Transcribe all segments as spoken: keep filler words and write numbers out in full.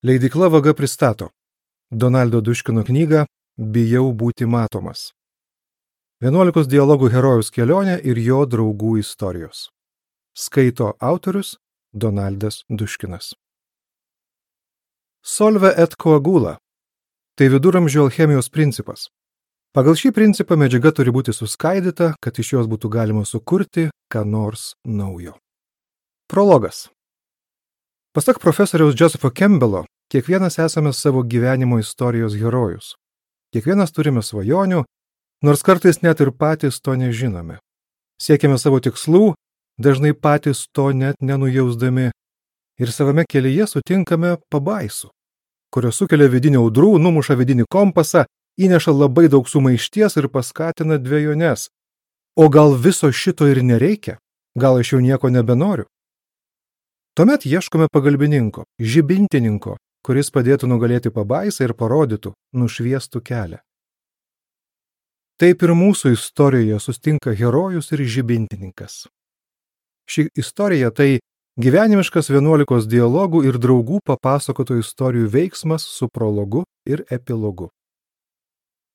Leidykla Vaga pristato Donaldo Duškino knygą Bijau būti matomas. vienuolikos dialogų herojaus kelionė ir jo draugų istorijos. Skaito autorius Donaldas Duškinas. Solve et coagula – tai viduramžių alchemijos principas. Pagal šį principą medžiaga turi būti suskaidyta, kad iš jos būtų galima sukurti ką nors naujo. Prologas. Pasak profesoriaus Josepho Campbello, kiekvienas esame savo gyvenimo istorijos herojus. Kiekvienas turime svajonių, nors kartais net ir patys to nežinome. Siekiame savo tikslų, dažnai patys to net nenujausdami, ir savame kelyje sutinkame pabaisų, kurios sukelia vidinį audrų, numuša vidinį kompasą, įneša labai daug sumaišties ir paskatina dvejones. O gal viso šito ir nereikia? Gal aš jau nieko nebenoriu? Tuomet ieškome pagalbininko, žibintininko, kuris padėtų nugalėti pabaisą ir parodytų, nušviestų kelią. Taip ir mūsų istorijoje sustinka herojus ir žibintininkas. Ši istorija tai gyvenimiškas vienuolikos dialogų ir draugų papasakotų istorijų veiksmas su prologu ir epilogu.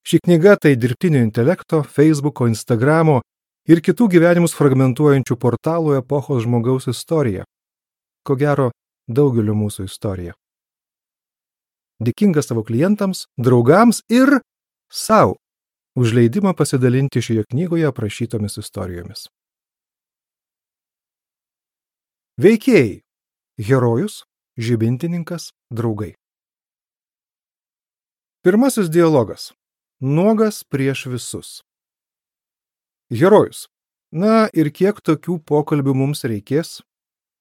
Ši knyga tai dirbtinio intelekto, Facebooko, Instagramo ir kitų gyvenimus fragmentuojančių portalų epochos žmogaus istorija. Ko gero, daugelio mūsų istorija. Dėkingas savo klientams, draugams ir sau už leidimą pasidalinti šioje knygoje aprašytomis istorijomis. Veikėjai. Herojus, žibintininkas, draugai. Pirmasis dialogas. Nuogas prieš visus. Herojus. Na ir kiek tokių pokalbių mums reikės?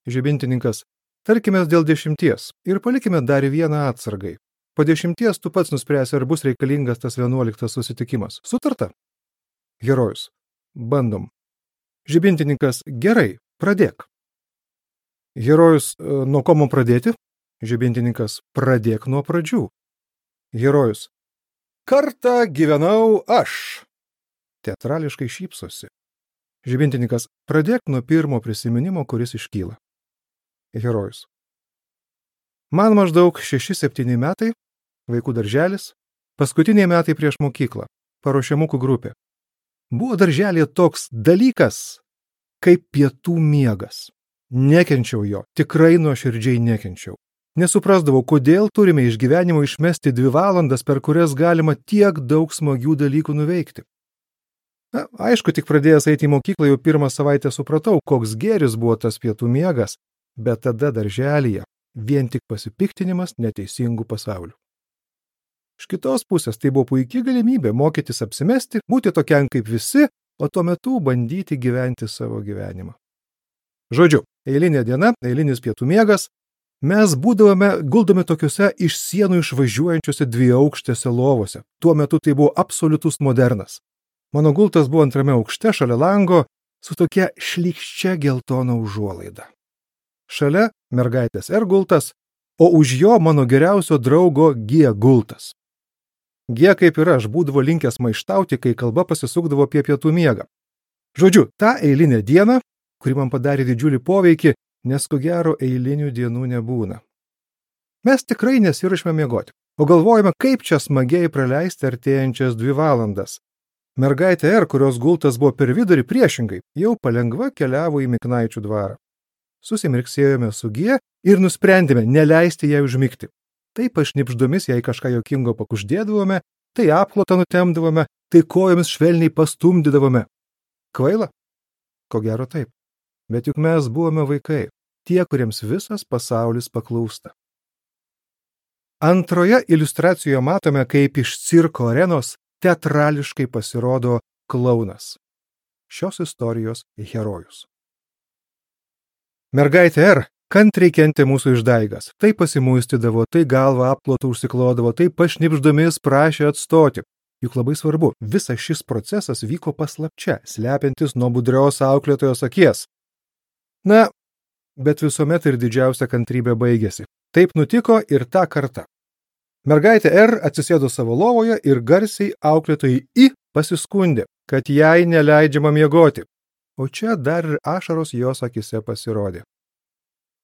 Žibintininkas. Tarkime dėl dešimties ir palikime dar vieną atsargai. Po dešimties tu pats nuspręsi, ar bus reikalingas tas vienuoliktas susitikimas. Sutarta? Herojus. Bandom. Žibintininkas. Gerai, pradėk. Herojus. Nuo ko man pradėti? Žibintininkas. Pradėk nuo pradžių. Herojus. Kartą gyvenau aš. Teatrališkai šypsosi. Žibintininkas. Pradėk nuo pirmo prisiminimo, kuris iškyla. Herojus. Man maždaug šeši septyni metai, vaikų darželis, paskutiniai metai prieš mokyklą, paruošiamukų grupė. Buvo darželėje toks dalykas, kaip pietų miegas. Nekenčiau jo, tikrai nuoširdžiai nekenčiau. Nesuprasdavau, kodėl turime iš gyvenimo išmesti dvi valandas, per kurias galima tiek daug smagių dalykų nuveikti. Na, aišku, tik pradėjęs eiti į mokyklą jau pirmą savaitę supratau, koks gėris buvo tas pietų miegas, bet tada darželyje vien tik pasipiktinimas neteisingų pasaulių. Iš kitos pusės tai buvo puikia galimybė mokytis apsimesti, būti tokiam kaip visi, o tuo metu bandyti gyventi savo gyvenimą. Žodžiu, eilinė diena, eilinis pietų miegas, mes būdavome guldomi tokiuose iš sienų išvažiuojančiuose dviaukštėse lovose. Tuo metu tai buvo absoliutus modernas. Mano gultas buvo antrame aukšte šalia lango su tokia šlykščia geltona užuolaida. Šalia mergaitės R gultas, o už jo mano geriausio draugo G gultas. G kaip ir aš būdavo linkęs maištauti, kai kalba pasisukdavo apie pietų miegą. Žodžiu, tą eilinę dieną, kuri man padarė didžiulį poveikį, nes ko gero eilinių dienų nebūna. Mes tikrai nesiruošime miegoti, o galvojame, kaip čia smagiai praleisti artėjančias dvi valandas. Mergaitė R, kurios gultas buvo per vidurį priešingai, jau palengva keliavo į Miknaičių dvarą. Susimirksėjome su G ir nusprendėme neleisti jai užmigti. Tai pašnipždomis jai kažką jokingo pakuždėdavome, tai apklotą nutemdavome, tai kojomis švelniai pastumdydavome. Kvaila? Ko gero taip. Bet juk mes buvome vaikai, tie, kuriems visas pasaulis paklūsta. Antroje iliustracijoje matome, kaip iš cirko arenos teatrališkai pasirodo klounas. Šios istorijos herojus. Mergaitė R kantriai kentė mūsų išdaigas. Tai pasimuistydavo, tai galvą apklotų užsiklodavo, tai pašnipždomis prašė atstoti. Juk labai svarbu, visas šis procesas vyko paslapčia, slepiantis nuo budrios auklėtojos akies. Na, bet visuomet ir didžiausia kantrybė baigėsi. Taip nutiko ir tą kartą. Mergaitė R atsisėdo savo lovoje ir garsiai auklėtojai I pasiskundė, kad jai neleidžiama miegoti. O čia dar ir ašaros jos akise pasirodė.